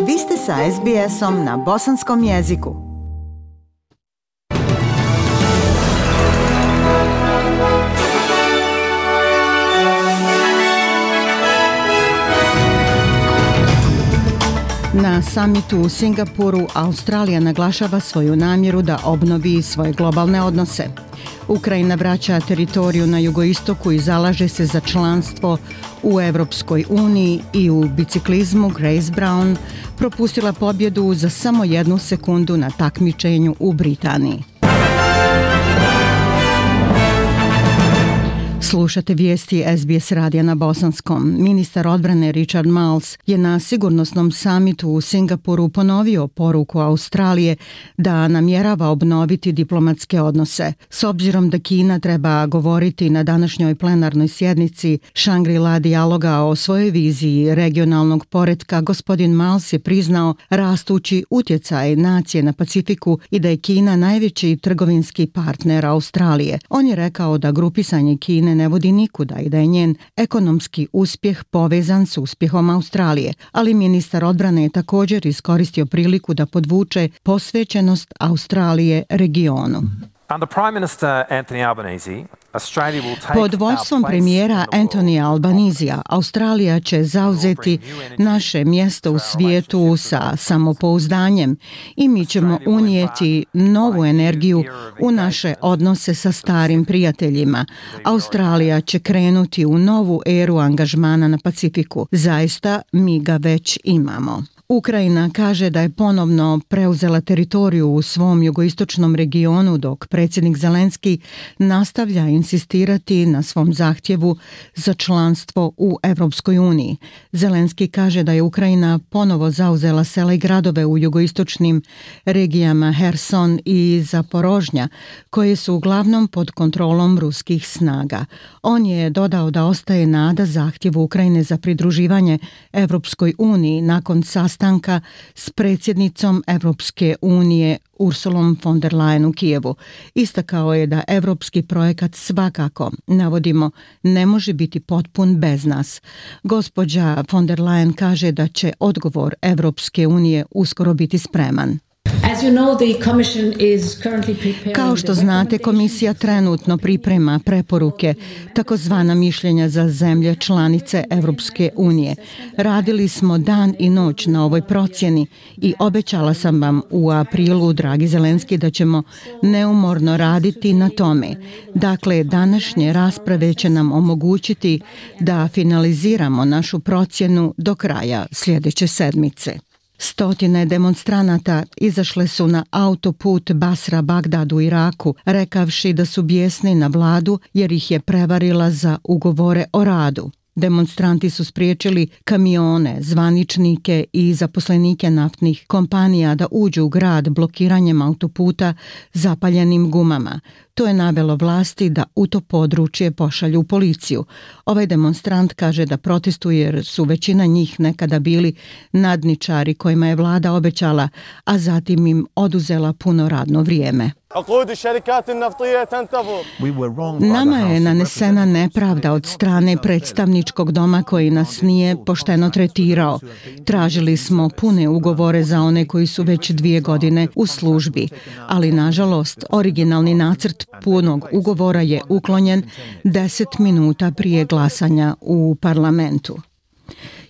Vi ste sa SBS-om na bosanskom jeziku. Na samitu u Singapuru Australija naglašava svoju namjeru da obnovi svoje globalne odnose. Ukrajina vraća teritoriju na jugoistoku i zalaže se za članstvo u Evropskoj uniji i u biciklizmu Grace Brown propustila pobjedu za samo 1 sekundu na takmičenju u Britaniji. Slušate vijesti SBS radija na bosanskom. Ministar odbrane Richard Marles je na sigurnosnom samitu u Singapuru ponovio poruku Australije da namjerava obnoviti diplomatske odnose. S obzirom da Kina treba govoriti na današnjoj plenarnoj sjednici Shangri-La dijaloga o svojoj viziji regionalnog poretka, gospodin Marles je priznao rastući utjecaj nacije na Pacifiku i da je Kina najveći trgovinski partner Australije. On je rekao da grupisanje Kine ne vodi nikuda i da je njen ekonomski uspjeh povezan s uspjehom Australije, ali ministar odbrane je također iskoristio priliku da podvuče posvećenost Australije regionu. Pod vodstvom premijera Anthony Albanesija, Australija će zauzeti naše mjesto u svijetu sa samopouzdanjem i mi ćemo unijeti novu energiju u naše odnose sa starim prijateljima. Australija će krenuti u novu eru angažmana na Pacifiku. Zaista, mi ga već imamo. Ukrajina kaže da je ponovno preuzela teritoriju u svom jugoistočnom regionu, dok predsjednik Zelenski nastavlja insistirati na svom zahtjevu za članstvo u Evropskoj uniji. Zelenski kaže da je Ukrajina ponovo zauzela sela i gradove u jugoistočnim regijama Herson i Zaporožnja, koje su uglavnom pod kontrolom ruskih snaga. On je dodao da ostaje nada zahtjevu Ukrajine za pridruživanje Evropskoj uniji nakon sastanka s predsjednicom Evropske unije Ursulom von der Leyen u Kijevu. Istakao je da evropski projekat svakako, navodimo, ne može biti potpun bez nas. Gospođa von der Leyen kaže da će odgovor Evropske unije uskoro biti spreman. Kao što znate, komisija trenutno priprema preporuke, takozvana mišljenja za zemlje članice Evropske unije. Radili smo dan i noć na ovoj procjeni i obećala sam vam u aprilu, dragi Zelenski, da ćemo neumorno raditi na tome. Dakle, današnje rasprave će nam omogućiti da finaliziramo našu procjenu do kraja sljedeće sedmice. Stotine demonstranata izašle su na autoput Basra-Bagdad u Iraku, rekavši da su bijesni na vladu jer ih je prevarila za ugovore o radu. Demonstranti su spriječili kamione, zvaničnike i zaposlenike naftnih kompanija da uđu u grad blokiranjem autoputa zapaljenim gumama. To je navelo vlasti da u to područje pošalju policiju. Ovaj demonstrant kaže da protestuje jer su većina njih nekada bili nadničari kojima je vlada obećala, a zatim im oduzela puno radno vrijeme. Nama je nanesena nepravda od strane predstavničkog doma koji nas nije pošteno tretirao. Tražili smo pune ugovore za one koji su već 2 godine u službi, ali nažalost originalni nacrt punog ugovora je uklonjen 10 minuta prije glasanja u parlamentu.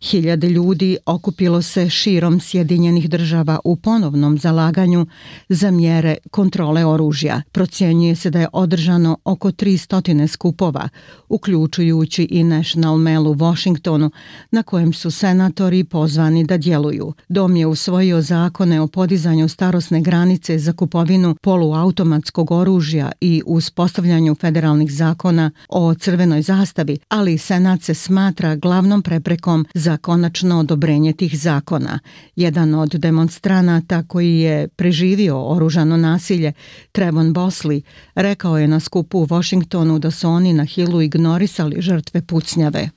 Hiljade ljudi okupilo se širom Sjedinjenih Država u ponovnom zalaganju za mjere kontrole oružja. Procjenjuje se da je održano oko 300 skupova, uključujući i National Mall u Washingtonu, na kojem su senatori pozvani da djeluju. Dom je usvojio zakone o podizanju starosne granice za kupovinu poluautomatskog oružja i uspostavljanju federalnih zakona o crvenoj zastavi, ali Senat se smatra glavnom preprekom za konačno odobrenje tih zakona. Jedan od demonstranata koji je preživio oružano nasilje, Trevon Bosley, rekao je na skupu u Washingtonu da su oni na Hillu ignorisali žrtve pucnjave.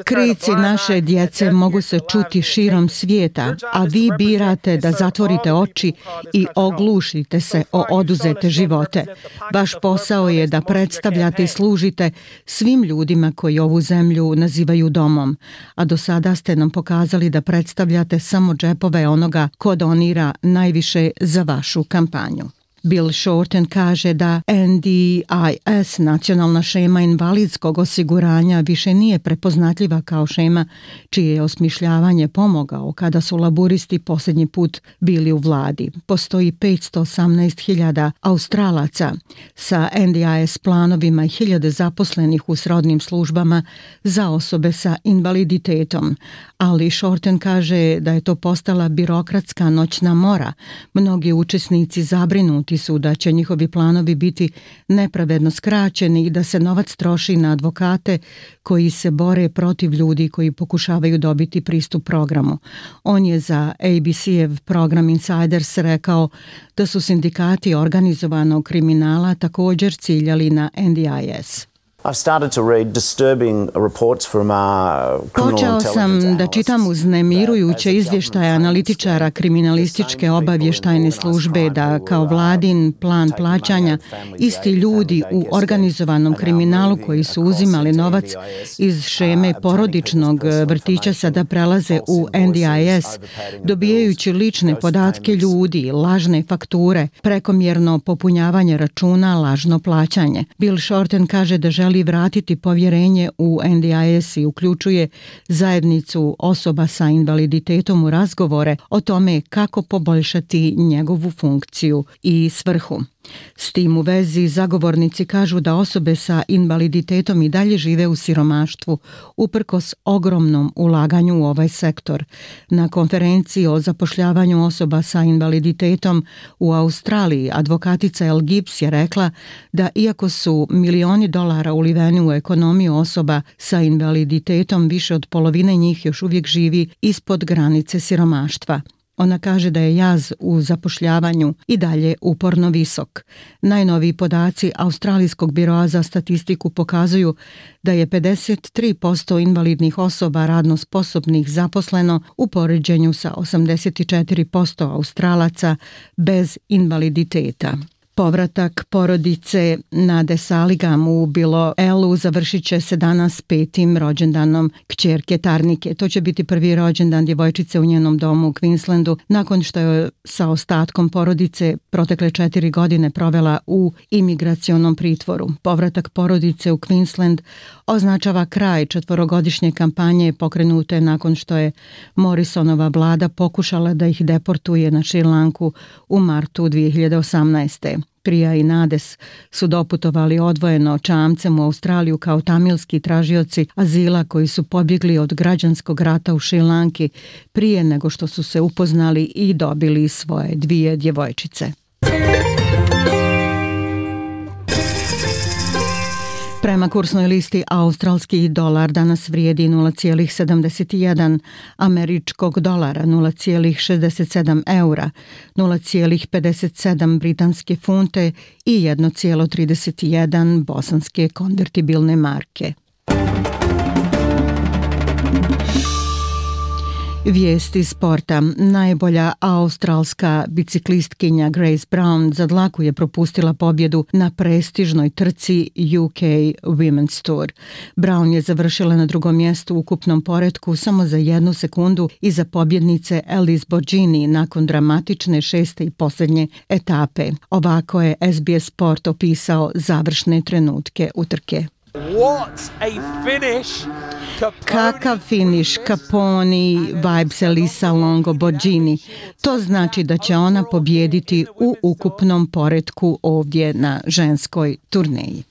Krici naše djece mogu se čuti širom svijeta, a vi birate da zatvorite oči i oglušite se o oduzete živote. Vaš posao je da predstavljate i služite svim ljudima koji ovu zemlju nazivaju domom, a do sada ste nam pokazali da predstavljate samo džepove onoga ko donira najviše za vašu kampanju. Bill Shorten kaže da NDIS, nacionalna šema invalidskog osiguranja, više nije prepoznatljiva kao šema čije je osmišljavanje pomogao kada su laburisti posljednji put bili u vladi. Postoji 518.000 Australaca sa NDIS planovima i 1000 zaposlenih u srodnim službama za osobe sa invaliditetom, ali Shorten kaže da je to postala birokratska noćna mora. Mnogi učesnici zabrinuti su da će njihovi planovi biti nepravedno skraćeni i da se novac troši na advokate koji se bore protiv ljudi koji pokušavaju dobiti pristup programu. On je za ABC-ev program Insiders rekao da su sindikati organizovanog kriminala također ciljali na NDIS. Počeo sam da čitam uznemirujuće izvještaje analitičara kriminalističke obavještajne službe da kao vladin plan plaćanja isti ljudi u organizovanom kriminalu koji su uzimali novac iz šeme porodičnog vrtića sada prelaze u NDIS, dobijajući lične podatke ljudi, lažne fakture, prekomjerno popunjavanje računa, lažno plaćanje. Bill Shorten kaže da želi vratiti povjerenje u NDIS i uključuje zajednicu osoba sa invaliditetom u razgovore o tome kako poboljšati njegovu funkciju i svrhu. S tim u vezi zagovornici kažu da osobe sa invaliditetom i dalje žive u siromaštvu uprkos ogromnom ulaganju u ovaj sektor. Na konferenciji o zapošljavanju osoba sa invaliditetom u Australiji advokatica El Gibbs je rekla da iako su milioni dolara uliveni u ekonomiju osoba sa invaliditetom, više od polovine njih još uvijek živi ispod granice siromaštva. Ona kaže da je jaz u zapošljavanju i dalje uporno visok. Najnoviji podaci Australijskog biroa za statistiku pokazuju da je 53% invalidnih osoba radno sposobnih zaposleno u poređenju sa 84% Australaca bez invaliditeta. Povratak porodice Nade Saligam u Bilo Elu završit će se danas 5. rođendanom kćerke Tarnike. To će biti prvi rođendan djevojčice u njenom domu u Queenslandu nakon što je sa ostatkom porodice protekle 4 godine provela u imigracionom pritvoru. Povratak porodice u Queensland označava kraj 4-godišnje kampanje pokrenute nakon što je Morrisonova vlada pokušala da ih deportuje na Šri Lanku u martu 2018. Prija i Nades su doputovali odvojeno čamcem u Australiju kao tamilski tražioci azila koji su pobjegli od građanskog rata u Šri Lanki prije nego što su se upoznali i dobili svoje 2 djevojčice. Prema kursnoj listi australski dolar danas vrijedi 0,71 američkog dolara, 0,67 eura, 0,57 britanske funte i 1,31 bosanske konvertibilne marke. Vijesti sporta. Najbolja australska biciklistkinja Grace Brown za dlaku je propustila pobjedu na prestižnoj trci UK Women's Tour. Brown je završila na 2. mjestu u ukupnom poretku samo za 1 sekundu iza pobjednice Alice Borgini nakon dramatične 6. i posljednje etape. Ovako je SBS Sport opisao završne trenutke utrke. What a finish! Kakav finiš, Caponi, vibes Elisa Longo Borgini. To znači da će ona pobijediti u ukupnom poretku ovdje na ženskoj turneji.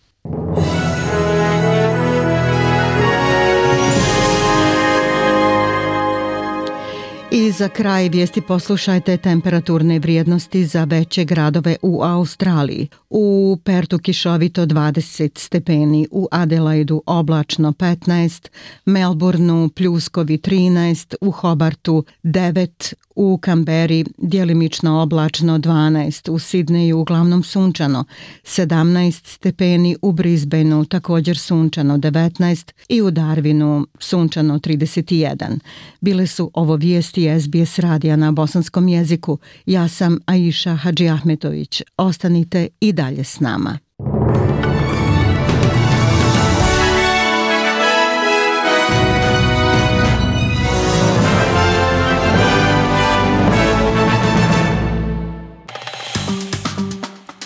I za kraj vijesti poslušajte temperaturne vrijednosti za veće gradove u Australiji. U Pertu kišovito 20 stepeni, u Adelaidu oblačno 15, Melbourneu pljuskovi 13, u Hobartu 9, u Kamberi djelimično oblačno 12, u Sidneju uglavnom sunčano 17 stepeni, u Brisbaneu također sunčano 19 i u Darwinu sunčano 31. Bile su ovo vijesti SBS radija na bosanskom jeziku. Ja sam Aisha Hadžiahmetović. Ostanite i dalje s nama.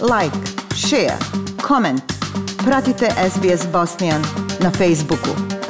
Like, share, comment. Pratite SBS Bosnian na Facebooku.